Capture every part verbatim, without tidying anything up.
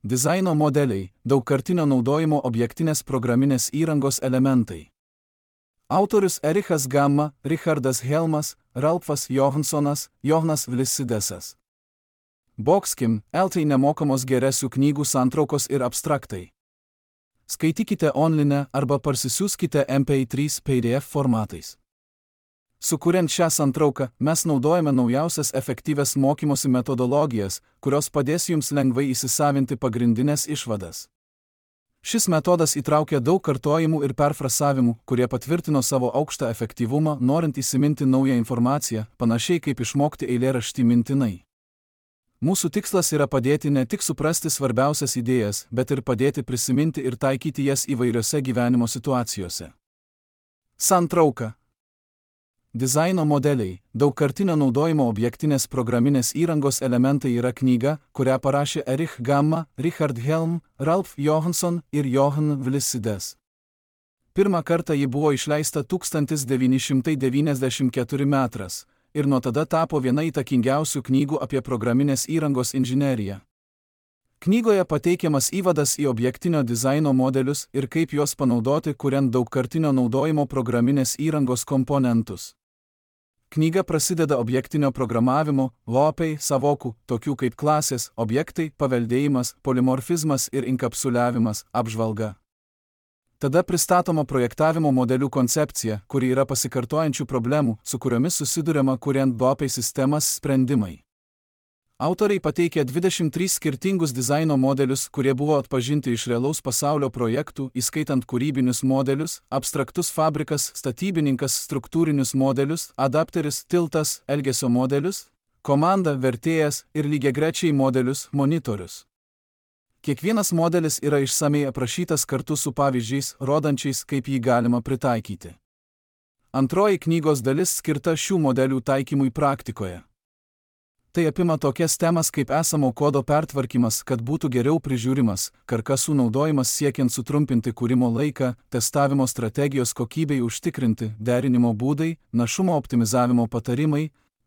Dizaino modeliai, daugkartinio naudojimo objektinės programinės įrangos elementai. Autorius Erichas Gamma, Richardas Helmas, Ralfas Johanssonas, Johannas Vlisidesas. Boxkim, eltai nemokamos geresių knygų santraukos ir abstraktai. Skaitykite online arba parsisiųskite M P trys P D F formatais. Sukuriant šią santrauką, mes naudojame naujausias efektyvias mokymosi metodologijas, kurios padės jums lengvai įsisavinti pagrindinės išvadas. Šis metodas įtraukia daug kartojimų ir perfrasavimų, kurie patvirtino savo aukštą efektyvumą, norint įsiminti naują informaciją, panašiai kaip išmokti eilėraštį mintinai. Mūsų tikslas yra padėti ne tik suprasti svarbiausias idėjas, bet ir padėti prisiminti ir taikyti jas įvairiose gyvenimo situacijose. Santrauka. Dizaino modeliai, daugkartinio naudojimo objektinės programinės įrangos elementai yra knyga, kurią parašė Erich Gamma, Richard Helm, Ralf Johansson ir Johann Vlisides. Pirmą kartą ji buvo išleista tūkstantis devyni šimtai devyniasdešimt ketvirtais metais ir nuo tada tapo viena įtakingiausių knygų apie programinės įrangos inžineriją. Knygoje pateikiamas įvadas į objektinio dizaino modelius ir kaip juos panaudoti, kuriant daugkartinio naudojimo programinės įrangos komponentus. Knyga prasideda objektinio programavimo, lopai, savokų, tokių kaip klasės, objektai, paveldėjimas, polimorfizmas ir inkapsuliavimas, apžvalga. Tada pristatoma projektavimo modelių koncepcija, kuri yra pasikartojančių problemų, su kuriomis susiduriama kuriant lopai sistemas sprendimai. Autoriai pateikė dvidešimt tris skirtingus dizaino modelius, kurie buvo atpažinti iš realaus pasaulio projektų, įskaitant kūrybinius modelius, abstraktus fabrikas, statybininkas, struktūrinius modelius, adapteris, tiltas, elgesio modelius, komanda, vertėjas ir lygiagrečiai modelius, monitorius. Kiekvienas modelis yra išsamiai aprašytas kartu su pavyzdžiais, rodančiais, kaip jį galima pritaikyti. Antroji knygos dalis skirta šių modelių taikymui praktikoje. Tai apima tokias temas kaip esamo kodo pertvarkymas, kad būtų geriau prižiūrimas, karkasų naudojimas siekiant sutrumpinti kūrimo laiką, testavimo strategijos kokybei užtikrinti, derinimo būdai, našumo optimizavimo patarimai,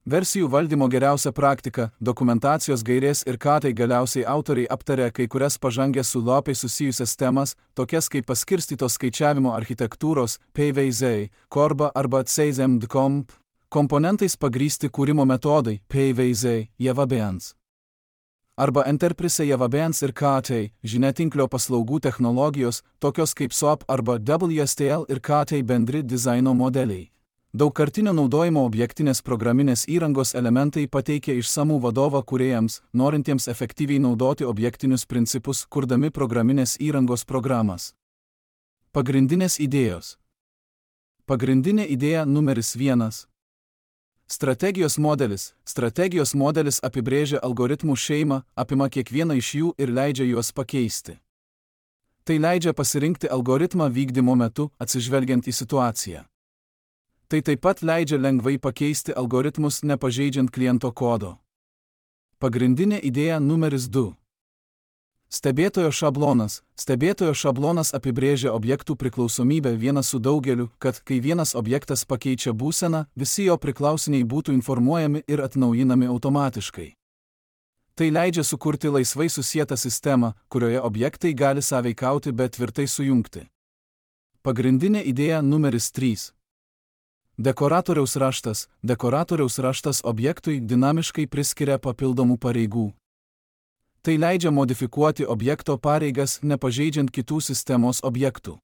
versijų valdymo geriausia praktika, dokumentacijos gairės ir ką tai galiausiai autoriai aptarė kai kurias pažangęs su lopai susijusias temas, tokias kaip paskirstytos skaičiavimo architektūros, P V Z, Korba arba C Z M D komp, komponentais pagrįsti kūrimo metodai, P V Z, JavaBeans. Arba Enterprise JavaBeans ir K T, žiniatinklio paslaugų technologijos, tokios kaip S O A P arba W S T L ir K T bendri dizaino modeliai. Daugkartinio naudojimo objektinės programinės įrangos elementai pateikia išsamų vadovą kūrėjams, norintiems efektyviai naudoti objektinius principus, kurdami programinės įrangos programas. Pagrindinės idėjos. Pagrindinė idėja numeris vienas. Strategijos modelis. Strategijos modelis apibrėžia algoritmų šeimą, apima kiekvieną iš jų ir leidžia juos pakeisti. Tai leidžia pasirinkti algoritmą vykdymo metu, atsižvelgiant į situaciją. Tai taip pat leidžia lengvai pakeisti algoritmus, nepažeidžiant kliento kodo. Pagrindinė idėja numeris du. Stebėtojo šablonas. Stebėtojo šablonas apibrėžia objektų priklausomybę vienas su daugeliu, kad, kai vienas objektas pakeičia būseną, visi jo priklausiniai būtų informuojami ir atnaujinami automatiškai. Tai leidžia sukurti laisvai susietą sistemą, kurioje objektai gali sąveikauti, bet tvirtai sujungti. Pagrindinė idėja numeris trys. Dekoratoriaus raštas. Dekoratoriaus raštas objektui dinamiškai priskiria papildomų pareigų. Tai leidžia modifikuoti objekto pareigas, nepažeidžiant kitų sistemos objektų.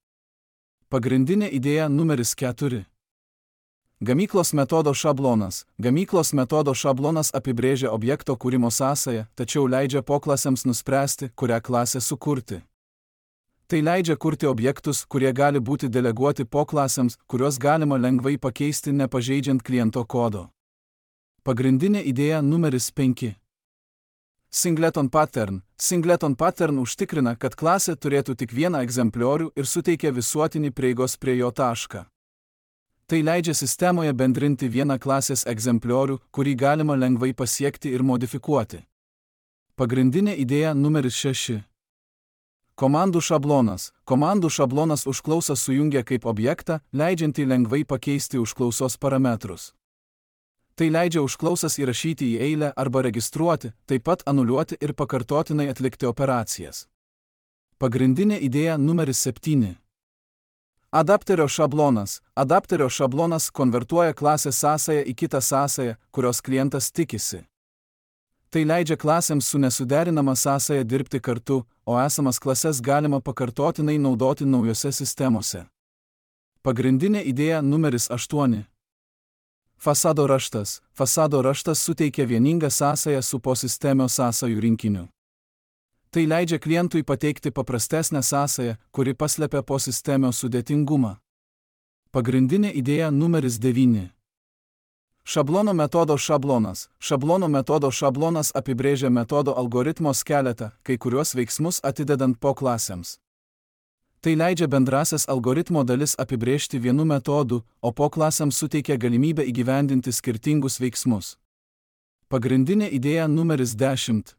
Pagrindinė idėja numeris keturi. Gamyklos metodo šablonas. Gamyklos metodo šablonas apibrėžia objekto kūrimo sąsają, tačiau leidžia poklasėms nuspręsti, kurią klasę sukurti. Tai leidžia kurti objektus, kurie gali būti deleguoti poklasėms, kuriuos galima lengvai pakeisti, nepažeidžiant kliento kodo. Pagrindinė idėja numeris penki. Singleton pattern. Singleton pattern užtikrina, kad klasė turėtų tik vieną egzempliorių ir suteikia visuotinį prieigos prie jo tašką. Tai leidžia sistemoje bendrinti vieną klasės egzempliorių, kurį galima lengvai pasiekti ir modifikuoti. Pagrindinė idėja numeris šeši. Komandų šablonas. Komandų šablonas užklausą sujungia kaip objektą, leidžiantį lengvai pakeisti užklausos parametrus. Tai leidžia užklausas įrašyti į eilę arba registruoti, taip pat anuliuoti ir pakartotinai atlikti operacijas. Pagrindinė idėja numeris septyni. Adapterio šablonas. Adapterio šablonas konvertuoja klasės sąsają į kitą sąsają, kurios klientas tikisi. Tai leidžia klasėms su nesuderinama sąsaja dirbti kartu, o esamas klases galima pakartotinai naudoti naujose sistemose. Pagrindinė idėja numeris aštuoni. Fasado raštas. Fasado raštas suteikia vieningą sąsają su posistemio sąsajų rinkiniu. Tai leidžia klientui pateikti paprastesnę sąsają, kuri paslepia posistemio sudėtingumą. Pagrindinė idėja numeris devyni. Šablono metodo šablonas. Šablono metodo šablonas apibrėžia metodo algoritmo skeletą, kai kuriuos veiksmus atidedant po klasėms. Tai leidžia bendrasias algoritmo dalis apibrėžti vienu metodu, o po klasėms suteikia galimybę įgyvendinti skirtingus veiksmus. Pagrindinė idėja numeris dešimt.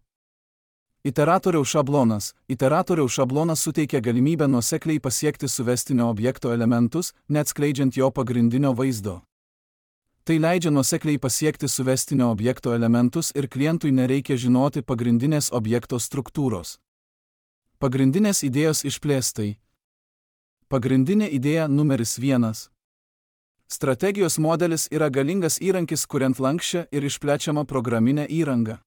Iteratoriaus šablonas. Iteratoriaus šablonas suteikia galimybę nuosekliai pasiekti suvestinio objekto elementus, neatskleidžiant jo pagrindinio vaizdo. Tai leidžia nuosekliai pasiekti suvestinio objekto elementus ir klientui nereikia žinoti pagrindinės objekto struktūros. Pagrindinės idėjos išplėstai. Pagrindinė idėja numeris vienas. Strategijos modelis yra galingas įrankis kuriant lanksčią ir išplečiamą programinę įrangą.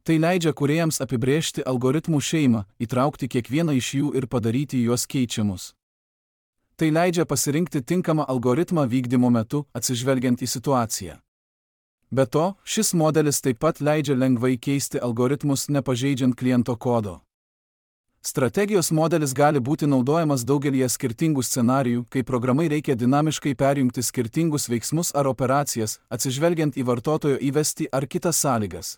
Tai leidžia kūrėjams apibrėžti algoritmų šeimą, įtraukti kiekvieną iš jų ir padaryti juos keičiamus. Tai leidžia pasirinkti tinkamą algoritmą vykdymo metu, atsižvelgiant į situaciją. Be to, šis modelis taip pat leidžia lengvai keisti algoritmus nepažeidžiant kliento kodo. Strategijos modelis gali būti naudojamas daugelyje skirtingų scenarijų, kai programai reikia dinamiškai perjungti skirtingus veiksmus ar operacijas, atsižvelgiant į vartotojo įvestį ar kitas sąlygas.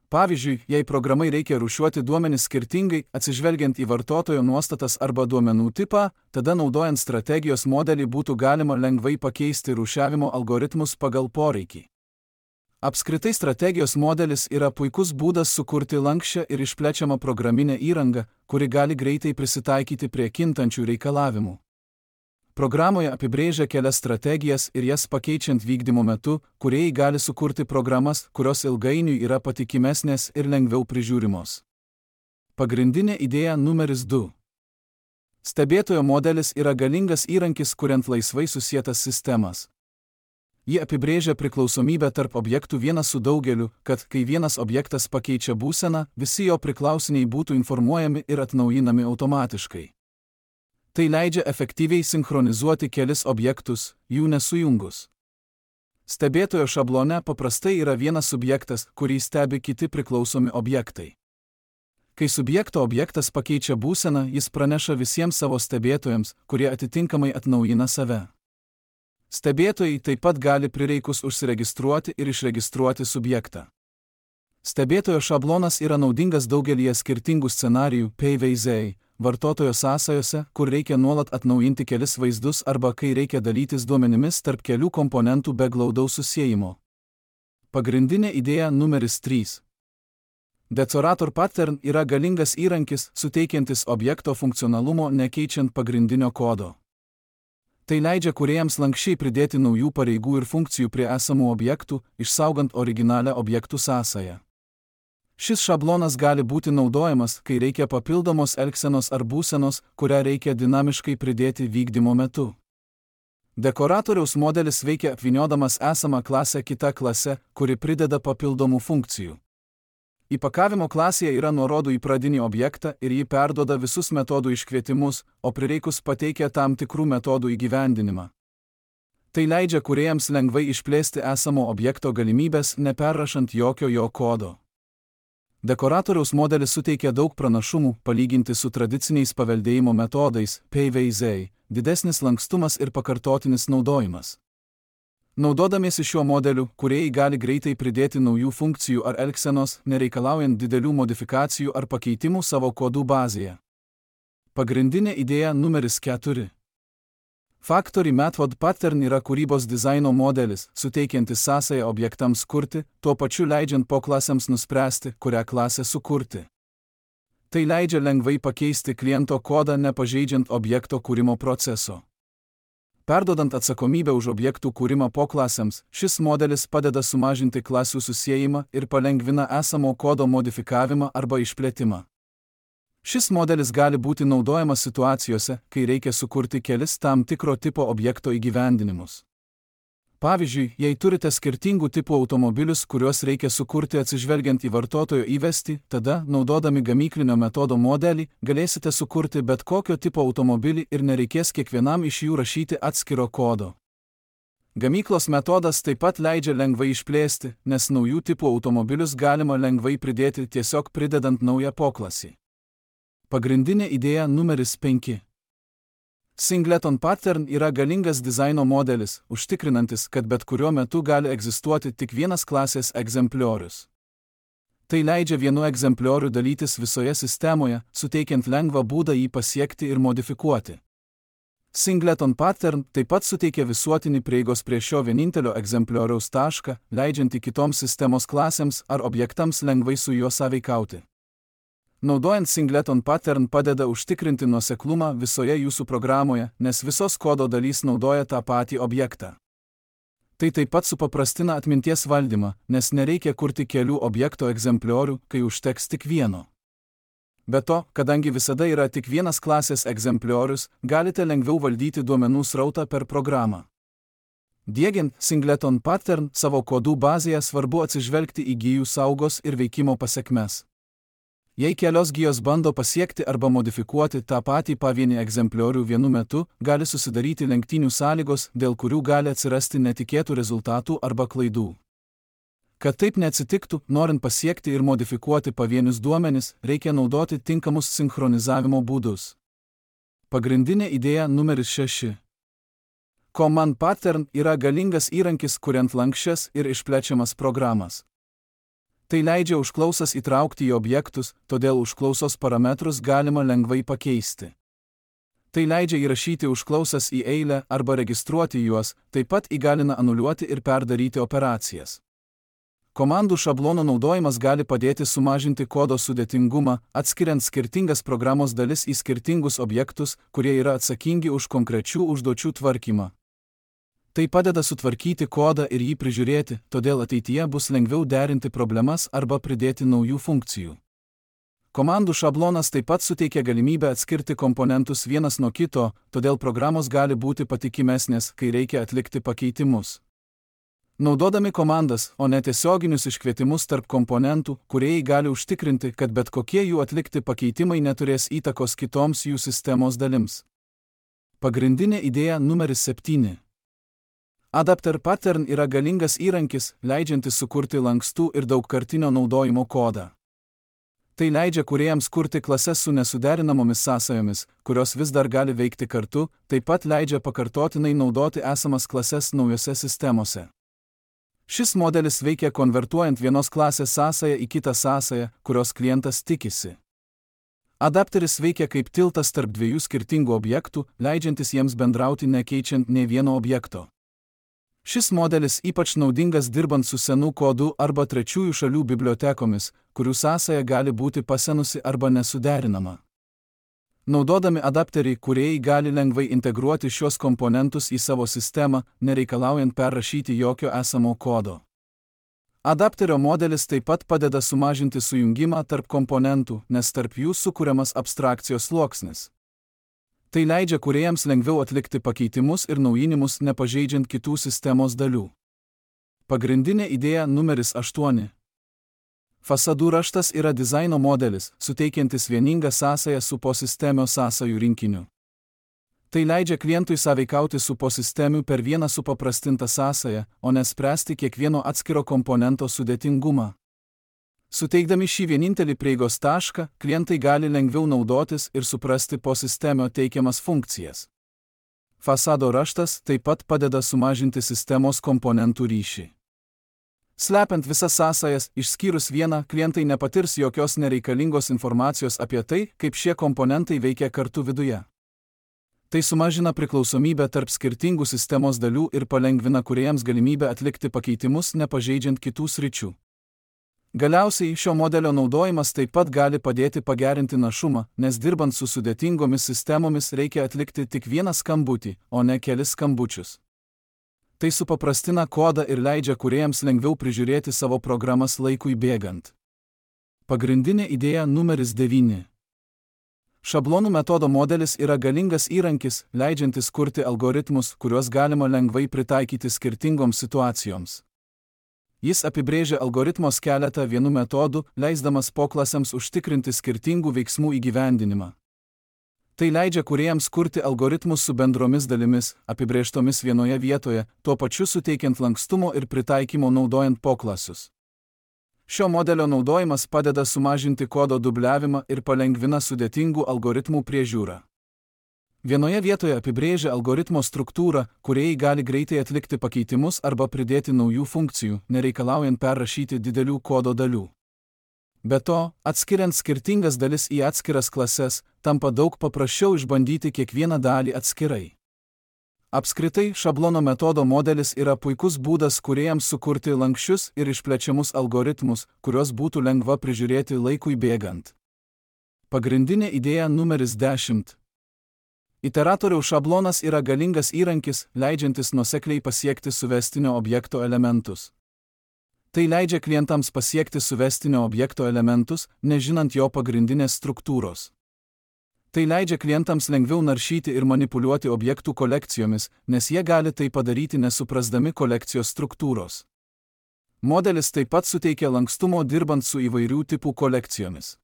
Pavyzdžiui, jei programai reikia rūšiuoti duomenis skirtingai, atsižvelgiant į vartotojo nuostatas arba duomenų tipą, tada naudojant strategijos modelį būtų galima lengvai pakeisti rūšiavimo algoritmus pagal poreikį. Apskritai strategijos modelis yra puikus būdas sukurti lanksčią ir išplečiamą programinę įrangą, kuri gali greitai prisitaikyti prie kintančių reikalavimų. Programoje apibrėžia kelias strategijas ir jas pakeičiant vykdymo metu, kūrėjai gali sukurti programas, kurios ilgainiui yra patikimesnės ir lengviau prižiūrimos. Pagrindinė idėja numeris du. Stebėtojo modelis yra galingas įrankis kuriant laisvai susietas sistemas. Ji apibrėžia priklausomybę tarp objektų vienas su daugeliu, kad, kai vienas objektas pakeičia būseną, visi jo priklausiniai būtų informuojami ir atnaujinami automatiškai. Tai leidžia efektyviai sinchronizuoti kelis objektus, jų nesujungus. Stebėtojo šablone paprastai yra vienas subjektas, kurį stebi kiti priklausomi objektai. Kai subjekto objektas pakeičia būseną, jis praneša visiems savo stebėtojams, kurie atitinkamai atnaujina save. Stebėtojai taip pat gali prireikus užsiregistruoti ir išregistruoti subjektą. Stebėtojo šablonas yra naudingas daugelyje skirtingų scenarijų, pavyzdžiui, vartotojo sąsajose, kur reikia nuolat atnaujinti kelis vaizdus arba kai reikia dalytis duomenimis tarp kelių komponentų be glaudaus susiejimo. Pagrindinė idėja numeris trys. Decorator pattern yra galingas įrankis, suteikiantis objekto funkcionalumo nekeičiant pagrindinio kodo. Tai leidžia kūrėjams lankščiai pridėti naujų pareigų ir funkcijų prie esamų objektų, išsaugant originalią objektų sąsają. Šis šablonas gali būti naudojamas, kai reikia papildomos elgsenos ar būsenos, kurią reikia dinamiškai pridėti vykdymo metu. Dekoratoriaus modelis veikia apvyniodamas esamą klasę kita klase, kuri prideda papildomų funkcijų. Įpakavimo klasėje yra nuorodų į pradinį objektą ir jį perduoda visus metodų iškvietimus, o prireikus pateikia tam tikrų metodų įgyvendinimą. Tai leidžia kūrėjams lengvai išplėsti esamo objekto galimybės, neperrašant jokio jo kodo. Dekoratoriaus modelis suteikia daug pranašumų, palyginti su tradiciniais paveldėjimo metodais, pavyzdžiui, didesnis lankstumas ir pakartotinis naudojimas. Naudodamiesi šiuo modeliu, kūrėjai gali greitai pridėti naujų funkcijų ar elgsenos, nereikalaujant didelių modifikacijų ar pakeitimų savo kodų bazėje. Pagrindinė idėja numeris keturi. Factory Method Pattern yra kūrybos dizaino modelis, suteikiantis sąsają objektams kurti, tuo pačiu leidžiant po klasėms nuspręsti, kurią klasę sukurti. Tai leidžia lengvai pakeisti kliento kodą nepažeidžiant objekto kūrimo proceso. Perdodant atsakomybę už objektų kūrimą poklasėms, šis modelis padeda sumažinti klasių susiejimą ir palengvina esamo kodo modifikavimą arba išplėtimą. Šis modelis gali būti naudojamas situacijose, kai reikia sukurti kelis tam tikro tipo objekto įgyvendinimus. Pavyzdžiui, jei turite skirtingų tipų automobilius, kuriuos reikia sukurti atsižvelgiant į vartotojo įvestį, tada, naudodami gamyklinio metodo modelį, galėsite sukurti bet kokio tipo automobilį ir nereikės kiekvienam iš jų rašyti atskiro kodo. Gamyklos metodas taip pat leidžia lengvai išplėsti, nes naujų tipų automobilius galima lengvai pridėti tiesiog pridedant naują poklasį. Pagrindinė idėja numeris penki. Singleton pattern yra galingas dizaino modelis, užtikrinantis, kad bet kuriuo metu gali egzistuoti tik vienas klasės egzempliorius. Tai leidžia vienu egzemplioriu dalytis visoje sistemoje, suteikiant lengvą būdą jį pasiekti ir modifikuoti. Singleton pattern taip pat suteikia visuotinį prieigos prie šio vienintelio egzemplioriaus tašką, leidžiantį kitoms sistemos klasėms ar objektams lengvai su juo sąveikauti. Naudojant Singleton pattern padeda užtikrinti nuoseklumą visoje jūsų programoje, nes visos kodo dalys naudoja tą patį objektą. Tai taip pat supaprastina atminties valdymą, nes nereikia kurti kelių objekto egzempliorių, kai užteks tik vieno. Be to, kadangi visada yra tik vienas klasės egzempliorius, galite lengviau valdyti duomenų srautą per programą. Diegiant Singleton pattern savo kodų bazėje svarbu atsižvelgti į gijų saugos ir veikimo pasekmes. Jei kelios gijos bando pasiekti arba modifikuoti tą patį pavienį egzempliorių vienu metu, gali susidaryti lenktynių sąlygos, dėl kurių gali atsirasti netikėtų rezultatų arba klaidų. Kad taip neatsitiktų, norint pasiekti ir modifikuoti pavienius duomenis, reikia naudoti tinkamus sinchronizavimo būdus. Pagrindinė idėja numeris šeši. Command pattern yra galingas įrankis, kuriant lanksčias ir išplečiamas programas. Tai leidžia užklausas įtraukti į objektus, todėl užklausos parametrus galima lengvai pakeisti. Tai leidžia įrašyti užklausas į eilę arba registruoti juos, taip pat įgalina anuliuoti ir perdaryti operacijas. Komandų šablono naudojimas gali padėti sumažinti kodo sudėtingumą, atskiriant skirtingas programos dalis į skirtingus objektus, kurie yra atsakingi už konkrečių užduočių tvarkymą. Tai padeda sutvarkyti kodą ir jį prižiūrėti, todėl ateityje bus lengviau derinti problemas arba pridėti naujų funkcijų. Komandų šablonas taip pat suteikia galimybę atskirti komponentus vienas nuo kito, todėl programos gali būti patikimesnės, kai reikia atlikti pakeitimus. Naudodami komandas, o ne tiesioginius iškvietimus tarp komponentų, kūrėjai gali užtikrinti, kad bet kokie jų atlikti pakeitimai neturės įtakos kitoms jų sistemos dalims. Pagrindinė idėja numeris septyni. Adapter pattern yra galingas įrankis, leidžiantis sukurti lankstų ir daugkartinio naudojimo kodą. Tai leidžia kūrėjams kurti klases su nesuderinamomis sąsajomis, kurios vis dar gali veikti kartu, taip pat leidžia pakartotinai naudoti esamas klases naujose sistemose. Šis modelis veikia konvertuojant vienos klasės sąsają į kitą sąsają, kurios klientas tikisi. Adapteris veikia kaip tiltas tarp dviejų skirtingų objektų, leidžiantis jiems bendrauti nekeičiant nei vieno objekto. Šis modelis ypač naudingas dirbant su senų kodų arba trečiųjų šalių bibliotekomis, kurių sąsaja gali būti pasenusi arba nesuderinama. Naudodami adapterį, kūrėjai gali lengvai integruoti šios komponentus į savo sistemą, nereikalaujant perrašyti jokio esamo kodo. Adapterio modelis taip pat padeda sumažinti sujungimą tarp komponentų, nes tarp jų sukuriamas abstrakcijos sluoksnis. Tai leidžia kūrėjams lengviau atlikti pakeitimus ir naujinimus, nepažeidžiant kitų sistemos dalių. Pagrindinė idėja numeris aštuoni. Fasadų raštas yra dizaino modelis, suteikiantis vieningą sąsają su posistemio sąsajų rinkiniu. Tai leidžia klientui sąveikauti su posistemiu per vieną supaprastintą sąsają, o nespręsti kiekvieno atskiro komponento sudėtingumą. Suteikdami šį vienintelį prieigos tašką, klientai gali lengviau naudotis ir suprasti posistemio teikiamas funkcijas. Fasado raštas taip pat padeda sumažinti sistemos komponentų ryšį. Slepiant visas sąsajas, išskyrus vieną, klientai nepatirs jokios nereikalingos informacijos apie tai, kaip šie komponentai veikia kartu viduje. Tai sumažina priklausomybę tarp skirtingų sistemos dalių ir palengvina kūrėjams galimybę atlikti pakeitimus, nepažeidžiant kitų sričių. Galiausiai šio modelio naudojimas taip pat gali padėti pagerinti našumą, nes dirbant su sudėtingomis sistemomis reikia atlikti tik vieną skambutį, o ne kelis skambučius. Tai supaprastina kodą ir leidžia kūrėjams lengviau prižiūrėti savo programas laikui bėgant. Pagrindinė idėja numeris devyni. Šablonų metodo modelis yra galingas įrankis, leidžiantis kurti algoritmus, kuriuos galima lengvai pritaikyti skirtingoms situacijoms. Jis apibrėžia algoritmos keletą vienų metodų, leisdamas poklasėms užtikrinti skirtingų veiksmų įgyvendinimą. Tai leidžia kūrėjams kurti algoritmus su bendromis dalimis, apibrėžtomis vienoje vietoje, tuo pačiu suteikiant lankstumo ir pritaikymo naudojant poklasius. Šio modelio naudojimas padeda sumažinti kodo dubliavimą ir palengvina sudėtingų algoritmų priežiūrą. Vienoje vietoje apibrėžia algoritmo struktūrą, kūrėjai gali greitai atlikti pakeitimus arba pridėti naujų funkcijų, nereikalaujant perrašyti didelių kodo dalių. Be to, atskiriant skirtingas dalis į atskiras klases, tampa daug paprasčiau išbandyti kiekvieną dalį atskirai. Apskritai, šablono metodo modelis yra puikus būdas kūrėjams sukurti lanksčius ir išplečiamus algoritmus, kuriuos būtų lengva prižiūrėti laikui bėgant. Pagrindinė idėja numeris dešimt. Iteratoriaus šablonas yra galingas įrankis, leidžiantis nuosekliai pasiekti suvestinio objekto elementus. Tai leidžia klientams pasiekti suvestinio objekto elementus, nežinant jo pagrindinės struktūros. Tai leidžia klientams lengviau naršyti ir manipuliuoti objektų kolekcijomis, nes jie gali tai padaryti nesuprasdami kolekcijos struktūros. Modelis taip pat suteikia lankstumo dirbant su įvairių tipų kolekcijomis.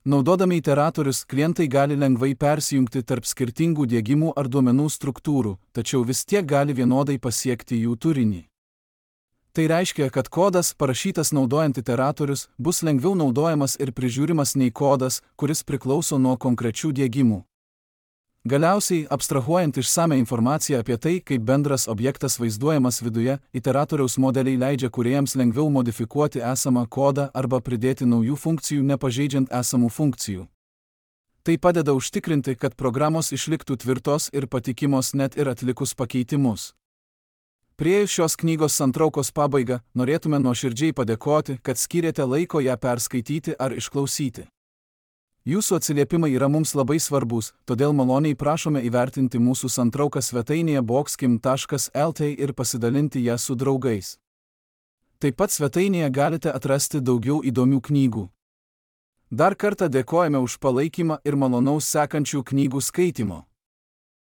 Naudodami iteratorius, klientai gali lengvai persijungti tarp skirtingų diegimų ar duomenų struktūrų, tačiau vis tiek gali vienodai pasiekti jų turinį. Tai reiškia, kad kodas, parašytas naudojant iteratorius, bus lengviau naudojamas ir prižiūrimas nei kodas, kuris priklauso nuo konkrečių diegimų. Galiausiai, abstrahuojant išsame informaciją apie tai, kaip bendras objektas vaizduojamas viduje, iteratoriaus modeliai leidžia kūrėjams lengviau modifikuoti esamą kodą arba pridėti naujų funkcijų nepažeidžiant esamų funkcijų. Tai padeda užtikrinti, kad programos išliktų tvirtos ir patikimos net ir atlikus pakeitimus. Priėjus šios knygos santraukos pabaigą, norėtume nuoširdžiai padėkoti, kad skyrėte laiko ją perskaityti ar išklausyti. Jūsų atsiliepimai yra mums labai svarbus, todėl maloniai prašome įvertinti mūsų santrauką svetainėje boxkim taškas lt ir pasidalinti ją su draugais. Taip pat svetainėje galite atrasti daugiau įdomių knygų. Dar kartą dėkojame už palaikymą ir malonaus sekančių knygų skaitimo.